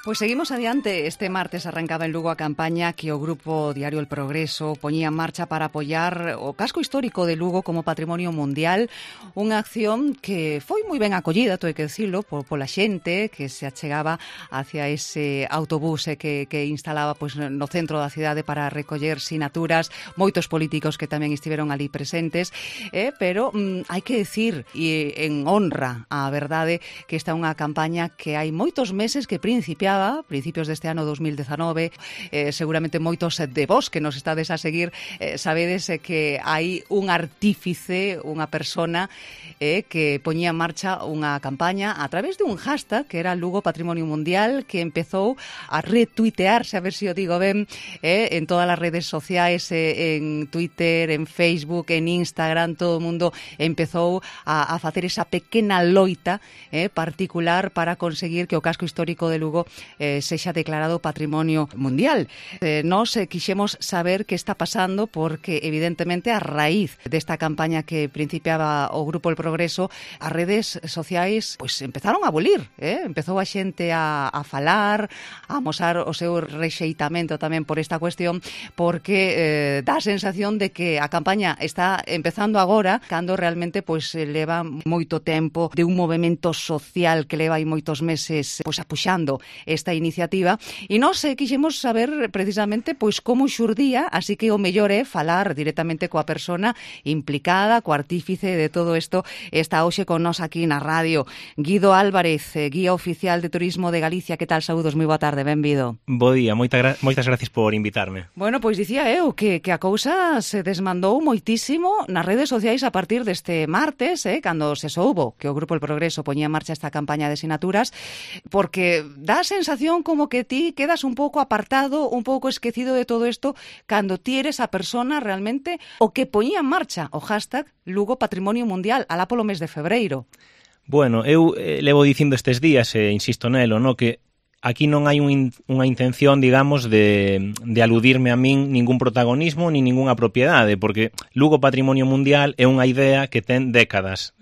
Pois seguimos adiante. Este martes arrancaba en Lugo a campaña que o Grupo Diario El Progreso poñía en marcha para apoiar o casco histórico de Lugo como patrimonio mundial, unha acción que foi moi ben acollida, hai que decirlo, pola xente que se achegaba hacia ese autobús que instalaba pois, no centro da cidade para recoller sinaturas, moitos políticos que tamén estiveron ali presentes, pero hai que decir, e en honra á verdade, que esta é unha campaña que hai moitos meses que principiaba principios deste ano 2019, seguramente moitos de vos que nos estades a seguir sabedes que hai un artífice, unha persona que poñía en marcha unha campaña a través de un hashtag que era Lugo Patrimonio Mundial, que empezou a retuitearse, a ver se o digo ben, en todas as redes sociais, en Twitter, en Facebook, en Instagram, todo o mundo empezou a facer esa pequena loita particular para conseguir que o casco histórico de Lugo sexa declarado Patrimonio Mundial. Nós quixemos saber que está pasando porque, evidentemente, a raíz desta campaña que principiaba o Grupo El Progreso, as redes sociais pois empezaron a abolir, empezou a xente a falar, a amosar o seu rexeitamento tamén por esta cuestión, porque dá a sensación de que a campaña está empezando agora, cando realmente pois leva moito tempo de un movimento social que leva aí moitos meses pois apuxando esta iniciativa, e nós quixemos saber precisamente pois como xurdía, así que o mellor é falar directamente coa persona implicada, co artífice de todo isto. Está hoxe con nós aquí na radio Guido Álvarez, guía oficial de Turismo de Galicia. Que tal? Saúdos, moi boa tarde, benvido. Bo día, moitas gracias por invitarme. Bueno, pois dicía eu que a cousa se desmandou moitísimo nas redes sociais a partir deste martes, cando se soubo que o Grupo El Progreso poñía en marcha esta campaña de sinaturas, porque dá a sensación como que ti quedas un pouco apartado, un pouco esquecido de todo isto, cando ti eres a persona realmente o que poñía en marcha o hashtag Lugo Patrimonio Mundial alá polo mes de febreiro. Bueno, eu levo dicindo estes días, e insisto nelo, no, que aquí non hai unha intención, digamos, de aludirme a min ningún protagonismo ni ningunha propiedade, porque Lugo Patrimonio Mundial é unha idea que ten décadas.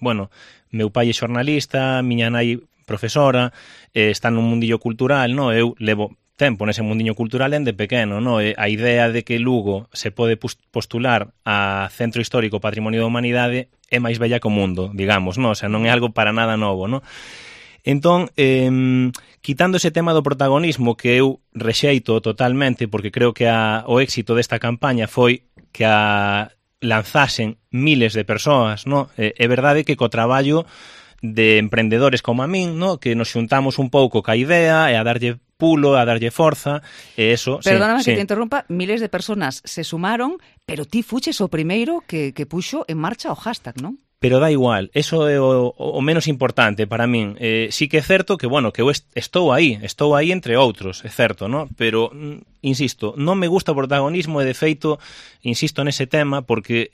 Bueno, meu pai é xornalista, miña nai profesora, está nun mundillo cultural, no? Eu levo tempo nese mundillo cultural dende pequeno, no? A idea de que Lugo se pode postular a Centro Histórico Patrimonio da Humanidade é máis bella que o mundo, digamos, no? O sea, non é algo para nada novo, no? Entón, quitando ese tema do protagonismo que eu rexeito totalmente, porque creo que o éxito desta campaña foi que a lanzasen miles de persoas, no? É verdade que co traballo de emprendedores como a min, no? Que nos xuntamos un pouco ca idea e a darlle pulo, a darlle forza, e eso... Perdóname que te interrumpa, miles de personas se sumaron, pero ti fuches o primeiro que puxo en marcha o hashtag, non? Pero dá igual, eso é o menos importante para min. Sí que é certo que, bueno, que eu estou aí entre outros, é certo, no? Pero, insisto, non me gusta o protagonismo e, de feito, insisto nese tema porque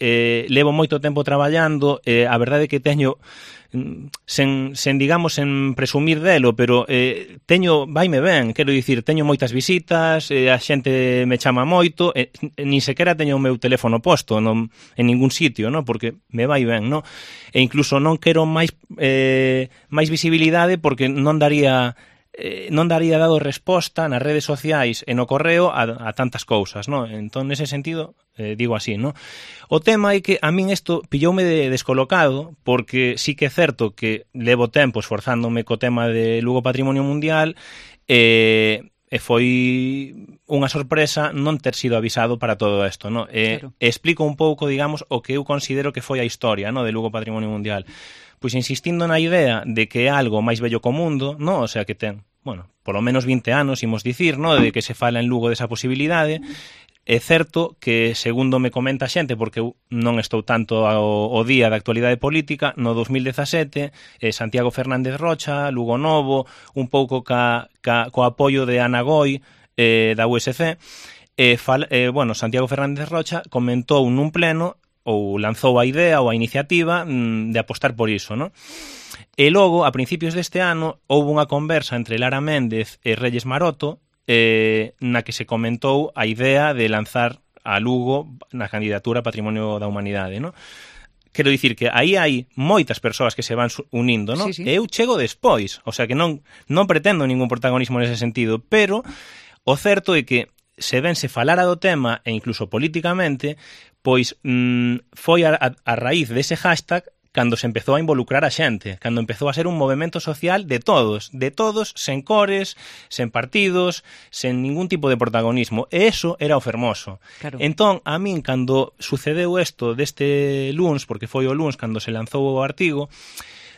levo moito tempo traballando, a verdade é que teño... sen digamos, sen presumir delo, pero vaime ben, quero dicir, teño moitas visitas, a xente me chama moito, nin sequera teño o meu teléfono posto en ningún sitio, no? Porque me vai ben, no? E incluso non quero máis visibilidade porque non daría dado resposta nas redes sociais e no correo a tantas cousas, no? Entón, nese sentido, digo así, no? O tema é que a min isto pilloume descolocado, porque sí que é certo que levo tempo esforzándome co tema de Lugo Patrimonio Mundial, e foi unha sorpresa non ter sido avisado para todo isto, no? Claro. Explico un pouco, digamos, o que eu considero que foi a historia, no, de Lugo Patrimonio Mundial. Pois insistindo na idea de que é algo máis bello co mundo, no? O sea, que ten, bueno, polo menos 20 anos, imos dicir, no? De que se fala en Lugo desa posibilidade. É certo que, segundo me comenta a xente, porque eu non estou tanto ao día da actualidade política, no 2017, Santiago Fernández Rocha, Lugo Novo, un pouco co apoio de Ana Goi, da USC, bueno, Santiago Fernández Rocha comentou nun pleno, ou lanzou a idea ou a iniciativa de apostar por iso, non? E logo, a principios deste ano, houve unha conversa entre Lara Méndez e Reyes Maroto, na que se comentou a idea de lanzar a Lugo na candidatura a Patrimonio da Humanidade, non? quero dicir que aí hai moitas persoas que se van unindo, non? Sí, sí. E eu chego despois, o sea que non pretendo ningún protagonismo nese sentido, pero o certo é que se ben se falara do tema, e incluso políticamente, pois foi a raíz dese hashtag cando se empezou a involucrar a xente, cando empezou a ser un movemento social de todos, sen cores, sen partidos, sen ningún tipo de protagonismo, e eso era o fermoso. Claro. Entón, a min, cando sucedeu isto deste luns, porque foi o luns cando se lanzou o artigo,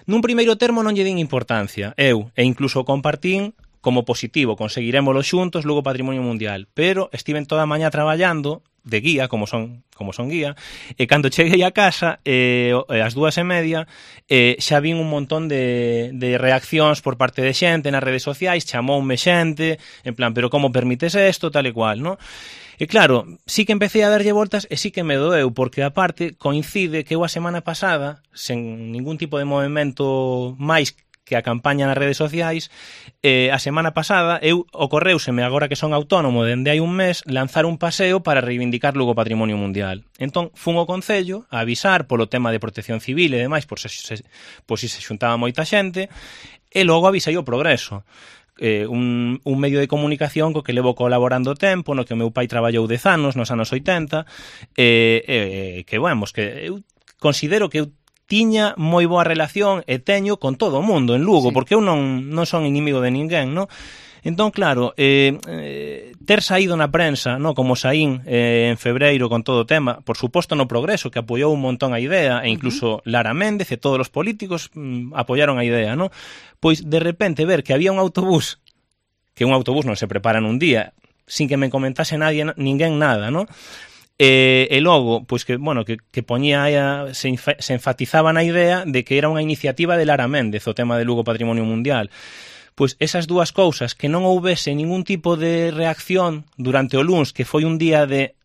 nun primeiro termo non lle din importancia, eu, e incluso compartín como positivo, conseguirémolo xuntos, Lugo Patrimonio Mundial, pero estiven toda a mañá traballando de guía, como son guía, e cando cheguei a casa, ás 2:30, xa vin un montón de reaccións por parte de xente nas redes sociais, chamoume xente, en plan, pero como permites isto, tal e cual, non? E claro, sí que empecé a darlle voltas e sí que me doeu, porque aparte coincide que eu a semana pasada, sen ningún tipo de movimento máis que a campaña nas redes sociais, a semana pasada ocorreuseme, agora que son autónomo dende hai un mes, lanzar un paseo para reivindicar Lugo Patrimonio Mundial. Entón, fun ao Concello a avisar polo tema de protección civil e demais, por se xuntaba moita xente, e logo avisei o Progreso. Un medio de comunicación co que levo colaborando tempo, no que o meu pai traballou 10 anos, nos anos 80, que, vamos, que eu considero que eu tiña moi boa relación e teño con todo o mundo en Lugo, sí, porque eu non son inimigo de ninguén, non? Entón, claro, ter saído na prensa, no, como saín en febreiro con todo o tema, por suposto no Progreso, que apoiou un montón a idea, e incluso Lara Méndez e todos os políticos apoiaron a idea, no? Pois, de repente, ver que había un autobús, que un autobús non se prepara nun día, sin que me comentase ninguén nada, no? E logo, pois que, bueno, que poñía se enfatizaba na idea de que era unha iniciativa de Lara Méndez, o tema de Lugo Patrimonio Mundial. Pois esas dúas cousas, que non houbese ningún tipo de reacción durante o luns, que foi un día de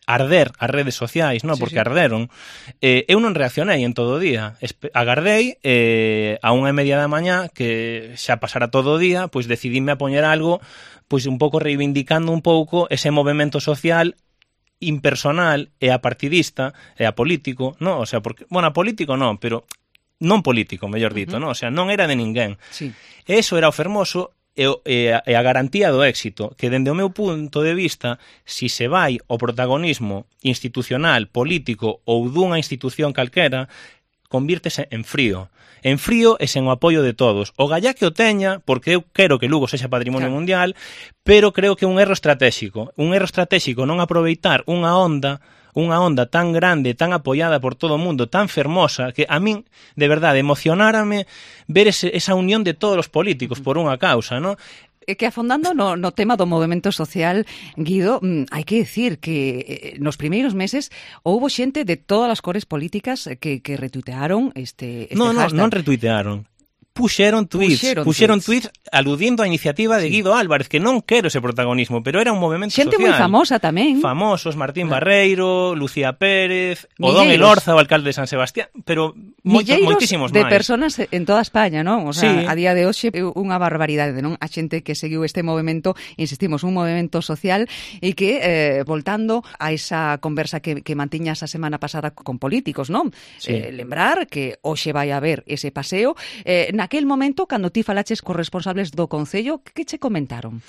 arder as redes sociais, non? Porque arderon. Eu non reaccionei en todo o día. Agardei a 1:30 da mañá, que xa pasara todo o día, pois decidíme a poñer algo, pois un pouco reivindicando un pouco ese movemento social impersonal e apartidista e apolítico, non? O sea, porque, bueno, apolítico non, pero non político, mellor dito, non? O sea, non era de ninguén. Sí. E iso era o fermoso e a garantía do éxito, que dende o meu punto de vista, si se vai o protagonismo institucional, político ou dunha institución calquera, convírtese en frío e sen o apoio de todos. O gallá que o teña, porque eu quero que Lugo sexa patrimonio mundial, pero creo que é un erro estratégico non aproveitar unha onda tan grande, tan apoiada por todo o mundo, tan fermosa, que a min, de verdade, emocionárame ver esa unión de todos os políticos por unha causa, non? Que afondando no tema do movemento social, Guido, hai que decir que nos primeiros meses houbo xente de todas as cores políticas que retuitearon este hashtag. Non retuitearon. Puxeron tweets aludindo á iniciativa de Guido Álvarez, que non quero ese protagonismo, pero era un movemento xente social. Xente moi famosa tamén. Famosos, Martín Barreiro, Lucía Pérez, Odón Elorza, o alcalde de San Sebastián, pero moitísimos máis. De personas en toda España, non? O sea, sí. A día de hoxe unha barbaridade, non? A xente que seguiu este movemento, insistimos, un movemento social e que, voltando a esa conversa que mantiñas a semana pasada con políticos, non? Sí. Lembrar que hoxe vai haber ese paseo, naquel momento, cando ti falaches cos responsables do Concello, que che comentaron?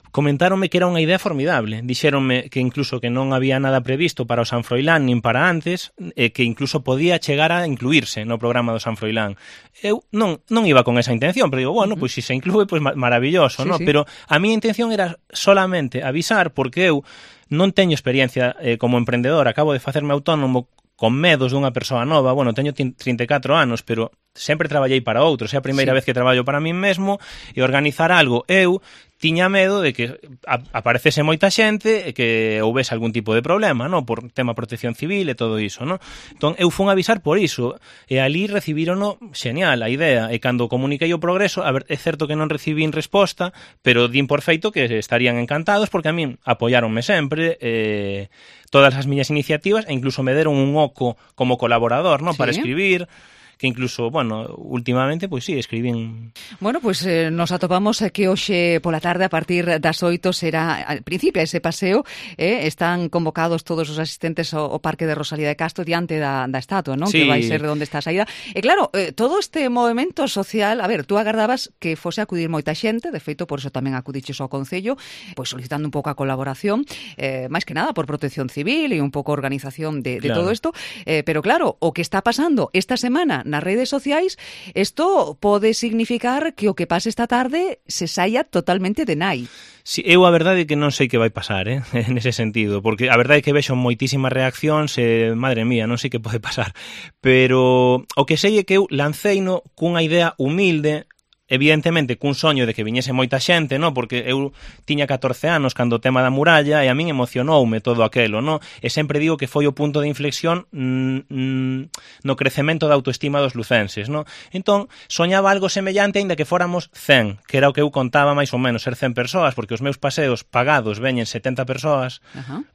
Comentáronme que era unha idea formidable. Dixéronme que incluso que non había nada previsto para o San Froilán nin para antes, e que incluso podía chegar a incluirse no programa do San Froilán. Eu non iba con esa intención, pero digo, bueno, pois se inclúe, pois maravilloso, ¿no? Sí. Pero a miña intención era solamente avisar, porque eu non teño experiencia como emprendedor, acabo de facerme autónomo con medos dunha persoa nova. Bueno, teño 34 anos, pero sempre traballei para outros, é a primeira vez que traballo para min mesmo, e organizar algo eu tiña medo de que aparecese moita xente e que houbese algún tipo de problema, no? Por tema protección civil e todo iso, no? Entón, eu fun avisar por iso, e ali recibirono xeñal a idea, e cando comuniquei o Progreso, a ver, é certo que non recibín resposta, pero din por feito que estarían encantados, porque a min apoiáronme sempre, todas as miñas iniciativas, e incluso me deron un oco como colaborador, no? Sí. Para escribir, que incluso, bueno, últimamente, pois sí, escribín. Bueno, pois nos atopamos que hoxe pola tarde a partir das 8 será, al principio, ese paseo, están convocados todos os asistentes ao Parque de Rosalía de Castro diante da estatua, non? Sí. Que vai ser de onde está a saída. E claro, todo este movimento social, a ver, tú agardabas que fose a acudir moita xente, de feito, por iso tamén acudiches ao Concello, pois solicitando un pouco a colaboración, máis que nada por protección civil e un pouco organización de Claro. todo isto, pero claro, o que está pasando esta semana nas redes sociais, isto pode significar que o que pase esta tarde se saia totalmente de nai. Si, eu a verdade é que non sei que vai pasar, nese sentido, porque a verdade é que vexo moitísimas reaccións e, madre mía, non sei que pode pasar, pero o que sei é que eu lanceino cunha idea humilde, evidentemente cun soño de que viñese moita xente, no? Porque eu tiña 14 anos cando o tema da muralla e a min emocionoume todo aquelo, no? E sempre digo que foi o punto de inflexión no crecemento da autoestima dos lucenses, no? Entón, soñaba algo semellante aínda que fóramos 100, que era o que eu contaba máis ou menos ser 100 persoas, porque os meus paseos pagados veñen 70 persoas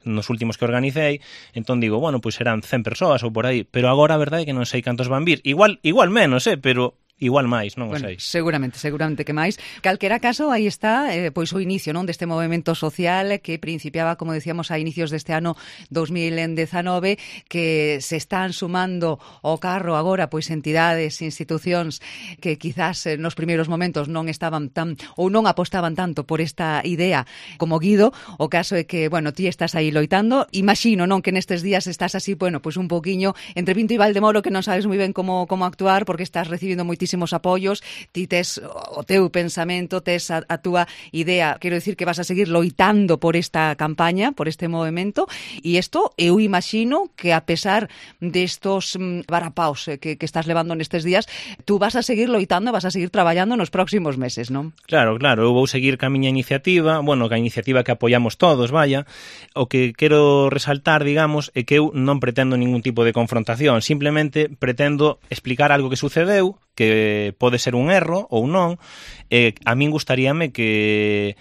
nos últimos que organicei, entón digo, bueno, pois serán 100 persoas ou por aí, pero agora a verdade é que non sei cantos van vir, igual menos, pero igual máis, non o sei. Seguramente que máis. Calquera caso, aí está pois o inicio, non, deste movimento social que principiaba, como decíamos, a inicios deste ano 2019, que se están sumando ao carro agora pois entidades, institucións que quizás nos primeiros momentos non estaban tan ou non apostaban tanto por esta idea como Guido. O caso é que, bueno, ti estás aí loitando, imagino, non, que nestes días estás así, bueno, pois un poquiño entre Vinto e Valdemoro, que non sabes moi ben como actuar porque estás recibindo moitísimos apoios, ti tes o teu pensamento, tes a túa idea, quero dicir que vas a seguir loitando por esta campaña, por este movimento, e isto eu imagino que a pesar destos varapaos que estás levando nestes días, tú vas a seguir loitando, vas a seguir traballando nos próximos meses, non? Claro, eu vou seguir ca miña iniciativa, bueno, ca iniciativa que apoiamos todos, vaya. O que quero resaltar, digamos, é que eu non pretendo ningún tipo de confrontación, simplemente pretendo explicar algo que sucedeu, que pode ser un erro ou non, a min gustaríame que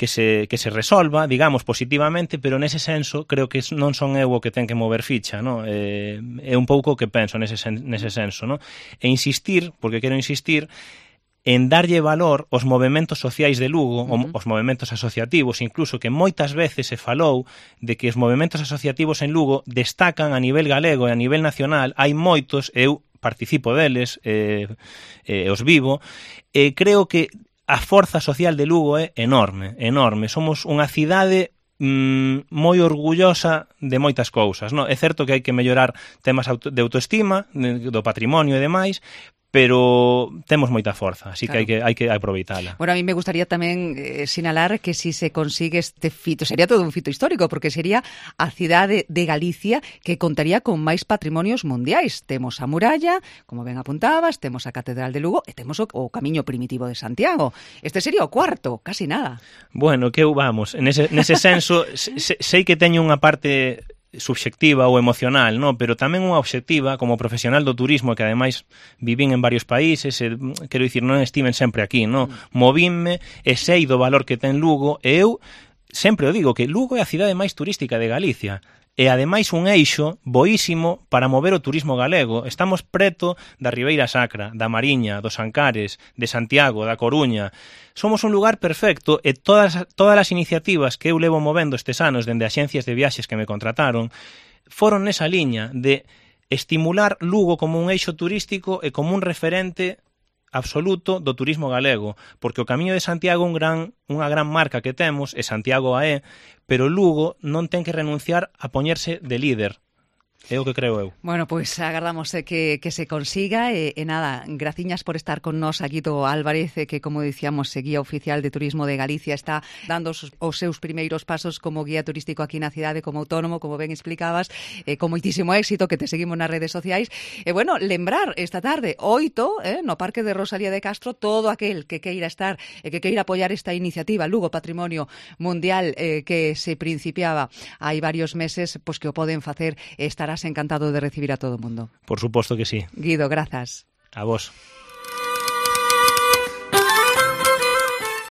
se resolva, digamos, positivamente, pero nese senso creo que non son eu o que ten que mover ficha, no? É un pouco o que penso nese senso, no? E insistir, porque quero insistir, en darlle valor aos movementos sociais de Lugo, os movementos asociativos, incluso que moitas veces se falou de que os movementos asociativos en Lugo destacan a nivel galego e a nivel nacional, hai moitos, eu participo deles, os vivo, e creo que a forza social de Lugo é enorme, somos unha cidade moi orgullosa de moitas cousas, non? É certo que hai que mellorar temas de autoestima, do patrimonio e demais, pero temos moita forza, así claro, que hai que aproveitala. Bueno, a mí me gustaría tamén sinalar que si se consigue este fito, sería todo un fito histórico, porque sería a cidade de Galicia que contaría con máis patrimonios mundiais. Temos a muralla, como ben apuntabas, temos a Catedral de Lugo e temos o Camiño Primitivo de Santiago. Este sería o cuarto, casi nada. Bueno, que eu vamos, nese senso, sei que teño unha parte subxectiva ou emocional, no? Pero tamén unha obxectiva como profesional do turismo, que ademais vivín en varios países, quero dicir, non estiven sempre aquí, no? Movínme e sei do valor que ten Lugo, e eu sempre o digo que Lugo é a cidade máis turística de Galicia. E ademais un eixo boísimo para mover o turismo galego. Estamos preto da Ribeira Sacra, da Mariña, dos Ancares, de Santiago, da Coruña. Somos un lugar perfecto e todas as iniciativas que eu levo movendo estes anos dende axencias de viaxes que me contrataron foron nesa liña de estimular Lugo como un eixo turístico e como un referente absoluto do turismo galego, porque o Camiño de Santiago unha gran marca que temos, e Santiago a é, pero Lugo non ten que renunciar a poñerse de líder. É o que creo eu. Bueno, pois agardamos que se consiga e nada, graciñas por estar con nós aquí do Álvarez, que como dicíamos, guía oficial de turismo de Galicia, está dando os seus primeiros pasos como guía turístico aquí na cidade, como autónomo, como ben explicabas, con moitísimo éxito, que te seguimos nas redes sociais. E bueno, lembrar esta tarde, 8, no Parque de Rosalía de Castro, todo aquel que queira estar e que queira apoiar esta iniciativa Lugo Patrimonio Mundial que se principiaba hai varios meses, pois que o poden facer e estarás encantado de recibir a todo o mundo. Por suposto que sí. Guido, grazas. A vos.